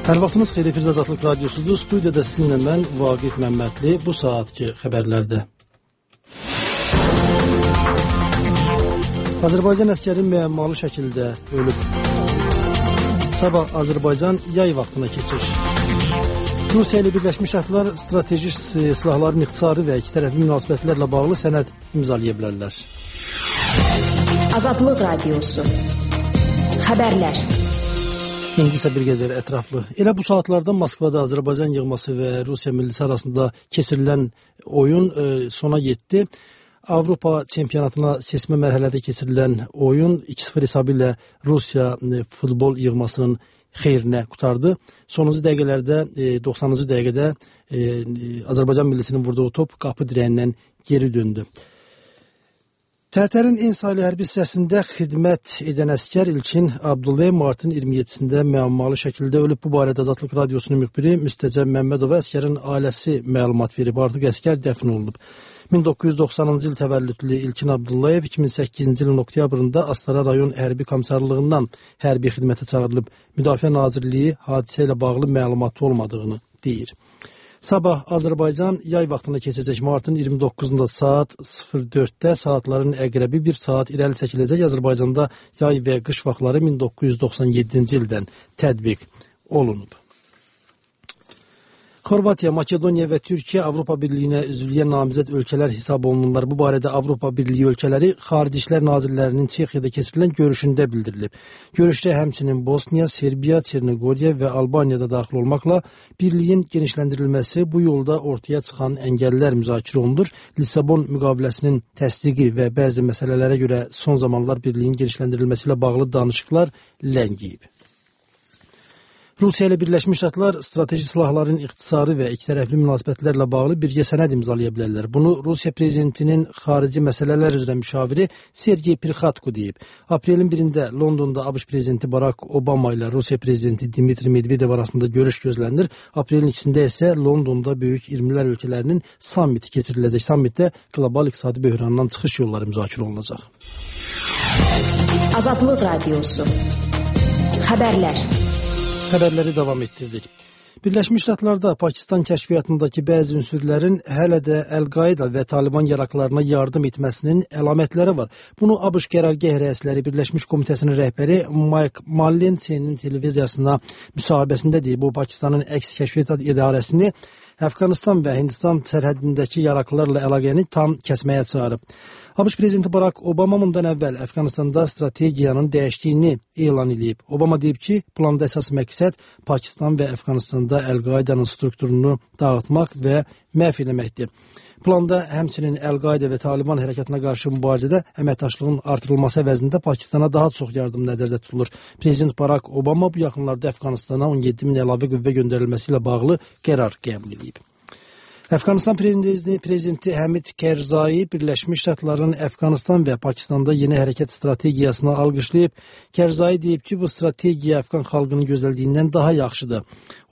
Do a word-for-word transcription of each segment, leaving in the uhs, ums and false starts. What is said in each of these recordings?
Hər vaxtınız xeyir, Firuz Azadlıq Radyosudur. Studiyada sizinlə mən Vaqif Məmmədli. Bu saatki xəbərlərdə Azərbaycan əskəri müəmmalı şəkildə ölüb. Sabah Azərbaycan yay vaxtına keçir. Rusiya ilə Birləşmiş Ştatlar strateji silahların ixtisarı və iki tərəfli münasibətlərlə bağlı sənəd imzalaya bilərlər. Azadlıq Radyosu Xəbərlər. İndi isə bir qədər ətraflı. Elə bu saatlarda Moskvada Azərbaycan yığması və Rusiya millisi arasında keçirilən oyun e, sona yetdi. Avropa çempionatına seçmə mərhələdə keçirilən oyun iki sıfır hesabı ilə Rusiya e, futbol yığmasının xeyrinə qutardı. Sonuncu dəqiqələrdə, e, doxsanıncı dəqiqədə e, Azərbaycan millisinin vurduğu top qapı dirəyindən geri döndü. Tərtərin en saylı hərbi hissəsində xidmət edən əskər İlkin Abdullayev martın iyirmi yeddisində müəmmalı şəkildə ölüb. Bu barədə Azadlıq Radyosunun müxbiri Müstəcəb Məmmədova əskərin ailəsi məlumat verib. Artıq əskər dəfn olunub. min doqquz yüz doxsanıncı il təvəllüdlü İlkin Abdullayev iki min səkkizinci ilin oktyabrında Astara rayon hərbi komissarlığından hərbi xidmətə çağırılıb. Müdafiə Nazirliyi hadisə ilə bağlı məlumatı olmadığını deyir. Sabah Azərbaycan yay vaxtına keçəcək. Martın iyirmi doqquzunda saat sıfır dörddə saatların əqrəbi bir saat irəli çəkiləcək. Azərbaycanda yay və qış vaxtları min doqquz yüz doxsan yeddinci ildən tətbiq olunub. Xorvatiya, Makedoniya və Türkiyə Avropa Birliyinə üzvlüyə namizəd ölkələr hesab olunurlar. Bu barədə Avropa Birliyi ölkələri Xarici İşlər Nazirlərinin Çexiyada keçirilən görüşündə bildirilib. Görüşdə həmçinin Bosniya, Serbiya, Çernogoriya və Albaniyada daxil olmaqla birliyin genişləndirilməsi, bu yolda ortaya çıxan əngəllər müzakirə olunur. Lissabon müqaviləsinin təsdiqi və bəzi məsələlərə görə son zamanlar birliyin genişləndirilməsi ilə bağlı danışıqlar ləngiyib. Rusiya ilə Birləşmiş Ştatlar strateji silahların ixtisarı və ikitərəfli münasibətlərlə bağlı birgə sənəd imzalaya bilərlər. Bunu Rusiya prezidentinin xarici məsələlər üzrə müşaviri Sergey Prixatko deyib. Aprelin birində Londonda ABŞ prezidenti Barack Obama ilə Rusiya prezidenti Dmitri Medvedev arasında görüş gözlənilir. Aprelin ikisində isə Londonda böyük iyirmilər ölkələrinin sammiti keçiriləcək. Sammitdə qlobal iqtisadi böhrandan çıxış yolları müzakirə olunacaq. Azadlıq Radyosu Xəbərlər. Xəbərləri davam etdiririk. Birləşmiş Ştatlarda Pakistan kəşfiyyatındakı bəzi ünsürlərin hələ də Əl-Qaida və Taliban yaraqlarına yardım etməsinin əlamətləri var. Bunu ABŞ qərargah rəisləri Birləşmiş Komitəsinin rəhbəri Mike Mullensenin televiziyasına müsahibəsində deyib. Bu, Pakistanın əks kəşfiyyat idarəsini Əfqanistan və Hindistan sərhədindəki yaraqlarla əlaqəni tam kəsməyə çağırıb. ABŞ prezidenti Barack Obama bundan əvvəl Əfqanistanda strategiyanın dəyişdiyini elan edib. Obama deyib ki, planda əsas məqsəd Pakistan və Əfqanistanda Əl-Qaidanın strukturunu dağıtmaq və məhv etməkdir. Planda həmçinin Əl-Qaida və Taliban hərəkatına qarşı mübarizədə əməkdaşlığın artırılması əvəzində Pakistana daha çox yardım nəzərdə tutulur. Prezident Barack Obama bu yaxınlarda Əfqanistana on yeddi min əlavə qüvvə göndərilməsi ilə bağlı qərar qəbul edib. Əfqanistan prezidenti, prezidenti Həmid Kərzai Birləşmiş Ştatların Əfqanistan və Pakistanda yeni hərəkət strategiyasını alqışlayıb. Kərzai deyib ki, bu strategiya Əfqan xalqının gözləldiyindən daha yaxşıdır.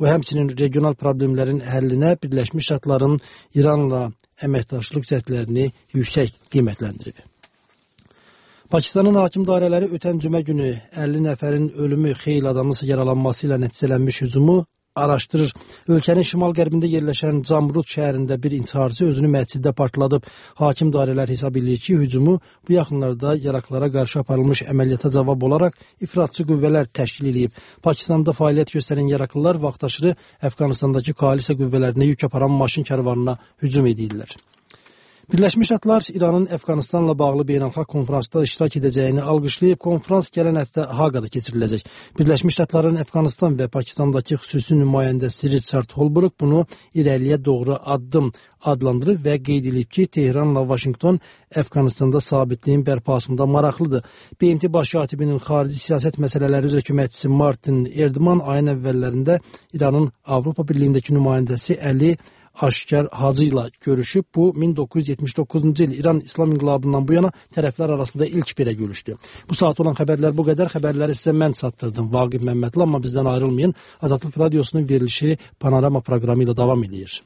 O həmçinin regional problemlərin həllinə Birləşmiş Ştatların İranla əməkdaşlıq cəhdlərini yüksək qiymətləndirib. Pakistanın hakim dairələri ötən cümə günü əlli nəfərin ölümü, xeyli adamın yaralanması ilə nəticələnmiş hücumu araşdırır. Ölkənin şimal-qərbində yerləşən Camrud şəhərində bir intiharçı özünü məsciddə partladıb. Hakim dairələr hesab edir ki, hücumu bu yaxınlarda yaraqlara qarşı aparılmış əməliyyata cavab olaraq ifratçı qüvvələr təşkil edib. Pakistanda fəaliyyət göstərən yaraqlılar vaxtaşırı Əfqanistandakı koalisiya qüvvələrinə yük aparan maşın kərvanına hücum edirlər. Birləşmiş Ştatlar İranın Əfqanistanla bağlı beynəlxalq konferansda iştirak edəcəyini alqışlayıb. Konferans gələn həftə Haqada keçiriləcək. Birləşmiş Ştatların Əfqanistan və Pakistandakı xüsusi nümayəndəsi Richard Holbrooke bunu irəliyə doğru addım adlandırıb və qeyd edib ki, Tehranla Vaşinqton Əfqanistanda sabitliyin bərpasında maraqlıdır. B M T baş katibinin xarici siyasət məsələləri üzrə köməkçisi Martin Erdman ayın əvvəllərində İranın Avropa Birliyindəki nümayəndəsi Əli Aşkar Hacı ilə görüşüb. Bu, min doqquz yüz yetmiş doqquzuncu il İran İslam İnqilabından bu yana tərəflər arasında ilk belə görüşdü. Bu saat olan xəbərlər bu qədər. Xəbərləri sizə mən çatdırdım, Vaqif Məmmədli, amma bizdən ayrılmayın. Azadlıq Radyosunun verilişi Panorama proqramı ilə davam edir.